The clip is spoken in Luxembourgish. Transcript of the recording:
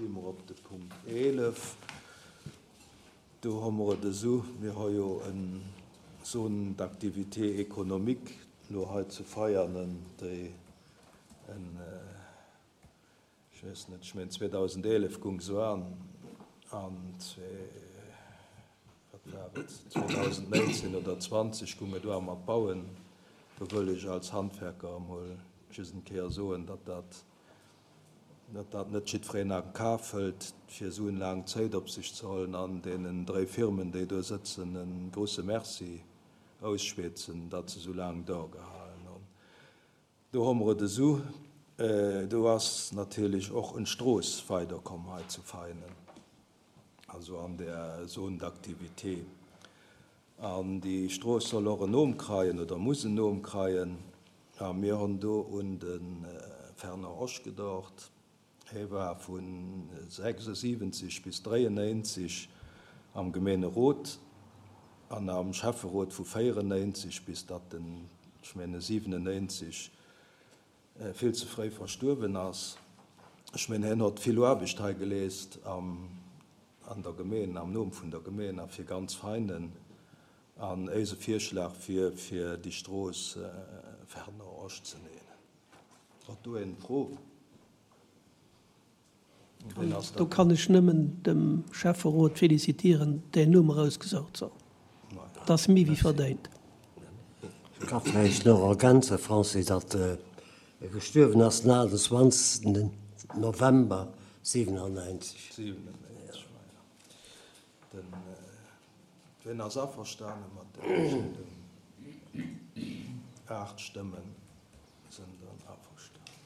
Si mer op de Punkt 11. Do hu mer et esou, mir hu jo en Zone d'activité économique elo hei zu Veianen, déi en, ech weess net, ech mengen 2011 gung se an, an wat war et, 2019 oder 20 gung et u mat bauen. Do wëll ech als Handwerker emol just eng Kéier soen, datt dat, datt dat net jiddwereen a Kaf hëlt, fir esou en laang Zéit op sech ze hollen, an deenen dréi Firmen, déi do sëtzen, e grouse Merci ausschwätzen, datt se esou laang dorgehalen hunn. Do hu mer et esou, do ass natierlech och en Strooss weiderkomm hei zu Veinen, also an där Zone d'activité. An déi Strooss soll och en Nom kreien oder muss en Nom kreien. A mir hunn do un de Fernand Osch gedocht. Hie war vu 76 bis 93 am Gemeenerot an am Schäfferot vu 94 bis datt en, ech menge 97, vill ze fréi verstuerwen ass. Ech mengen, hien hott vill Aarbecht hei geleest an der Gemeen, am Numm vun der Gemeen a fir ganz Veinen. An éise Virschlag wier, fir déi Strooss Fernand Osch ze nennen. Hott do een Fro? Ween ass dat? Do kann ech nëmmen dem Schäfferot felicitieren, däin Numm erausgesaucht ze hunn. Dat ass méi wéi verdéint. Ech ka vläicht nach ergänzen, Francis, datt e gestuerwen ass den 28. November 97. 97, voilà. Den, ween ass averstane mat der Entscheedung? 8 Stëmmen sinn dann averstanen.